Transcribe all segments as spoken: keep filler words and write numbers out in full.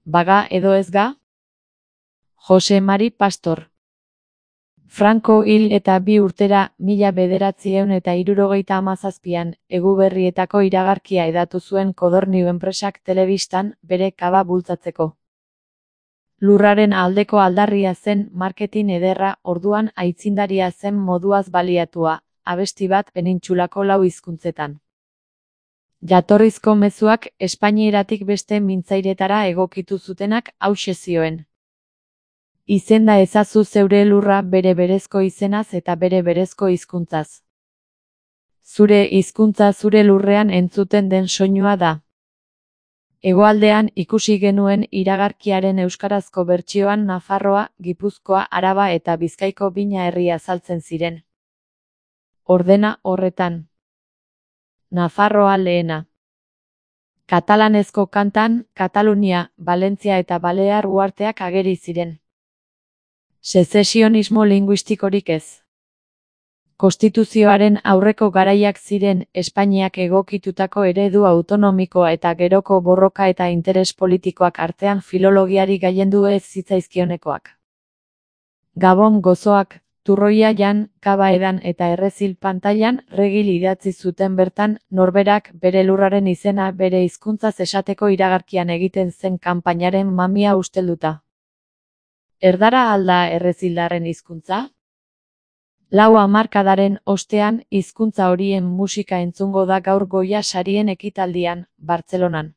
Baga edo ez ga? Jose Mari Pastor. Franco hil eta bi urtera, mila bederatziehun eta hirurogeita hamazazpian, Eguberrietako iragarkia hedatu zuen Codorniu enpresak telebistan, bere kaba bultzatzeko. Lurraren aldeko aldarria zen marketin ederra, orduan aitzindaria zen moduaz baliatua, abesti bat penintsulako lau hizkuntzetan. Jatorrizko mezuak espainieratik beste mintzairetara egokitu zutenak hauxe zioen. Izenda ezazu zeure lurra bere berezko izenaz eta bere berezko hizkuntzaz. Zure hizkuntza zure lurrean entzuten den soinua da. Hegoaldean ikusi genuen iragarkiaren euskarazko bertsioan Nafarroa, Gipuzkoa, Araba eta Bizkaiko bina herria azaltzen ziren. Ordena horretan. Nafarroa lehena. Katalanezko kantan, Katalunia, Valentzia eta Balear uharteak ageri ziren. Sezesionismo linguistikorik ez. Konstituzioaren aurreko garaiak ziren Espainiak egokitutako eredu autonomikoa eta geroko borroka eta interes politikoak artean filologiari gailendu ez zitzaizkionekoak. Gabon gozoak, Turroia jan, Kaba edan eta Errezil pantailan regil idatzi zuten bertan, norberak bere lurraren izena bere hizkuntzaz esateko iragarkian egiten zen kanpainaren mamia ustelduta. Erdara alda errezildarren hizkuntza? Lau hamarkadaren ostean, hizkuntza horien musika entzungo da gaur Goya sarien ekitaldian, Bartzelonan.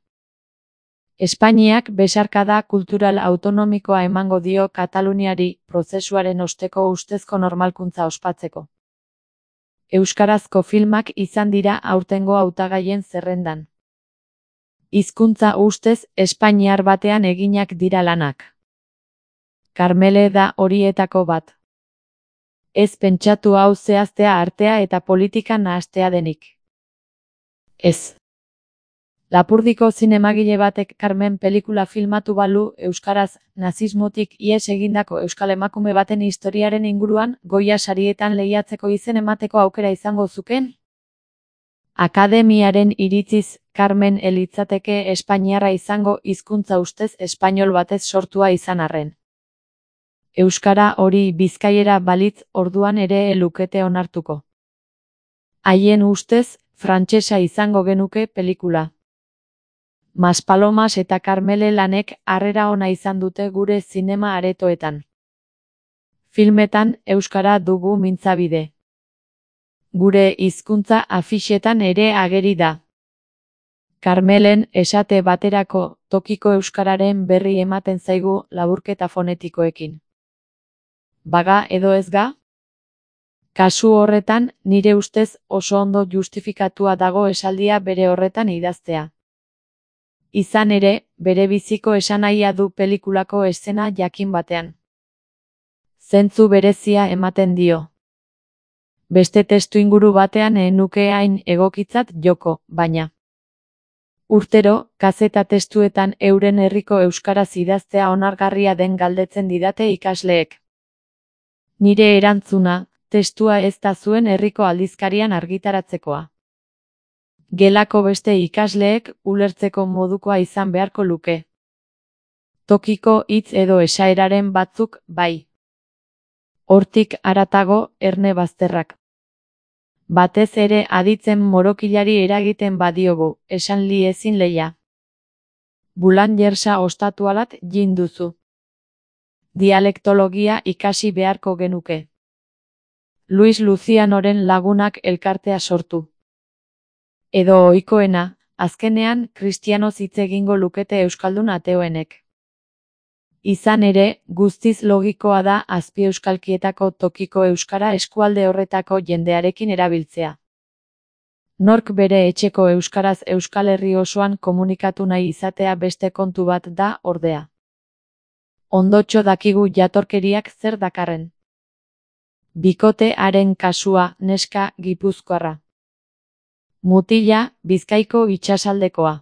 Espainiak besarkada kultural autonomikoa emango dio Kataluniari, prozesuaren osteko ustezko normalkuntza ospatzeko. Euskarazko filmak izan dira aurtengo hautagaien zerrendan. Hizkuntza ustez espainiar batean eginak dira lanak. Karmele da horietako bat. Ez pentsatu hau zehaztea artea eta politika nahastea denik. Ez. Lapurdiko zinemagile batek Carmen pelikula filmatu balu euskaraz nazismotik ihes egindako euskal emakume baten historiaren inguruan Goya sarietan lehiatzeko izen emateko aukera izango zuken? Akademiaren iritziz, Carmen ez litzateke espainiarra izango hizkuntza ustez espainol batez sortua izan arren. Euskara hori bizkaiera balitz orduan ere lukete onartuko. Haien ustez, frantsesa izango genuke pelikula. Maspalomas eta Karmele lanek harrera ona izan dute gure zinema aretoetan. Filmetan euskara dugu mintzabide. Gure hizkuntza afixetan ere ageri da. Karmelen esate baterako tokiko euskararen berri ematen zaigu laburketa fonetikoekin. Baga edo ez ga? Kasu horretan, nire ustez oso ondo justifikatua dago esaldia bere horretan idaztea. Izan ere, bere biziko esanahia du pelikulako eszena jakin batean. Zentzu berezia ematen dio. Beste testuinguru batean ez nuke hain egokitzat joko, baina. Urtero, kazeta testuetan euren herriko euskaraz idaztea onargarria den galdetzen didate ikasleek. Nire erantzuna, testua ez da zuen herriko aldizkarian argitaratzekoa. Gelako beste ikasleek ulertzeko modukoa izan beharko luke. Tokiko hitz edo esaeraren batzuk, bai. Hortik haratago, erne bazterrak. Batez ere aditzen morokilari eragiten badiogu, esan li ezin leia. Bulangersa ostatualat jin duzu. Dialektologia ikasi beharko genuke. Luis Lucianoren lagunak elkartea sortu. Edo ohikoena, azkenean kristianoz hitz egingo lukete euskaldun ateoenek. Izan ere, guztiz logikoa da azpieuskalkietako tokiko euskara eskualde horretako jendearekin erabiltzea. Nork bere etxeko euskaraz Euskal Herri osoan komunikatu nahi izatea beste kontu bat da, ordea. Ondotxo dakigu jatorkeriak zer dakarren. Bikote haren kasua, neska, gipuzkoarra. Mutila, Bizkaiko itsasaldekoa.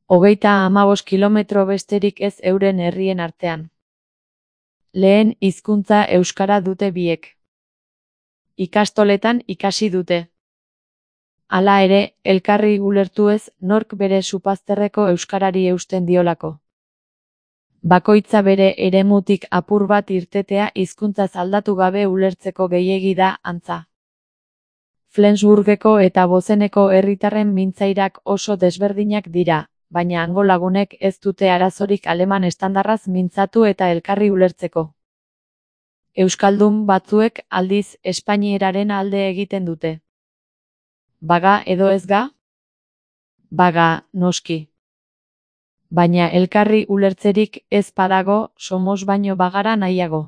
Hogeita hamabost kilometro besterik ez euren herrien artean. Lehen hizkuntza euskara dute biek. Ikastoletan ikasi dute. Hala ere, elkarri ulertu ez, nork bere supazterreko euskarari eusten diolako. Bakoitza bere eremutik apur bat irtetea hizkuntzaz aldatu gabe ulertzeko gehiegi da, antza. Flensburgeko eta Bozeneko herritarren mintzairak oso desberdinak dira, baina hango lagunek ez dute arazorik aleman estandarraz mintzatu eta elkarri ulertzeko. Euskaldun batzuek, aldiz, espainierazaren alde egiten dute. Baga edo ez ga? Baga, noski. Baina elkarri ulertzerik ez badago, somos baino bagara nahiago.